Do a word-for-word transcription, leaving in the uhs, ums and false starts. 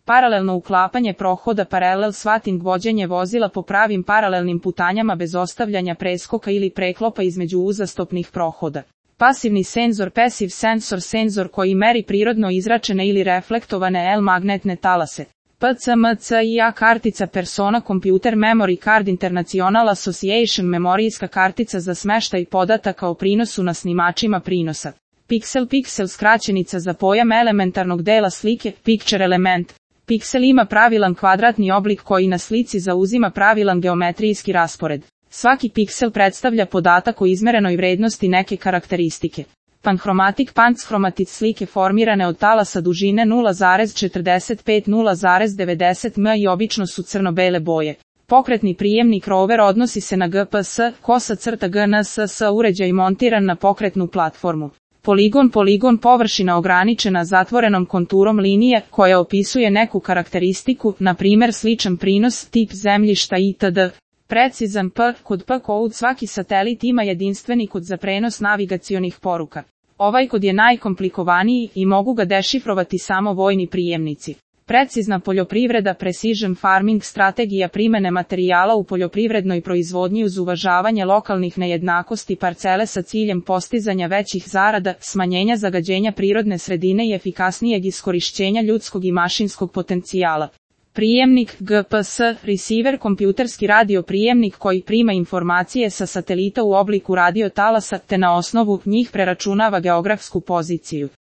Paralelno uklapanje prohoda, paralel swatting, vođenje vozila po pravim paralelnim putanjama bez ostavljanja preskoka ili preklopa između uzastopnih prohoda. Pasivni senzor, passive sensor, senzor koji meri prirodno izračene ili reflektovane L magnetne talase. P C M C I A kartica Persona Computer Memory Card International Association, memorijska kartica za smeštaj podataka o prinosu na snimačima prinosa. Pixel, pixel skraćenica za pojam elementarnog dela slike, picture element. Piksel ima pravilan kvadratni oblik koji na slici zauzima pravilan geometrijski raspored. Svaki piksel predstavlja podatak o izmerenoj vrednosti neke karakteristike. Panhromatic, panchromatic slike formirane od talasa dužine nula zarez četrdeset pet do nula zarez devedeset metara i obično su crno-bele boje. Pokretni prijemnik rover odnosi se na G P S, kosa crta G N S S uređaj montiran na pokretnu platformu. Poligon, poligon površina ograničena zatvorenom konturom linije koja opisuje neku karakteristiku, na primjer sličan prinos, tip zemljišta itd. Precizan P, kod P code svaki satelit ima jedinstveni kod za prenos navigacionih poruka. Ovaj kod je najkomplikovaniji i mogu ga dešifrovati samo vojni prijemnici. Precizna poljoprivreda, precision farming, strategija primene materijala u poljoprivrednoj proizvodnji uz uvažavanje lokalnih nejednakosti parcele sa ciljem postizanja većih zarada, smanjenja zagađenja prirodne sredine i efikasnijeg iskorišćenja ljudskog i mašinskog potencijala. Prijemnik, G P S, receiver, kompjuterski radio prijemnik koji prima informacije sa satelita u obliku radio talasa te na osnovu njih preračunava geografsku poziciju.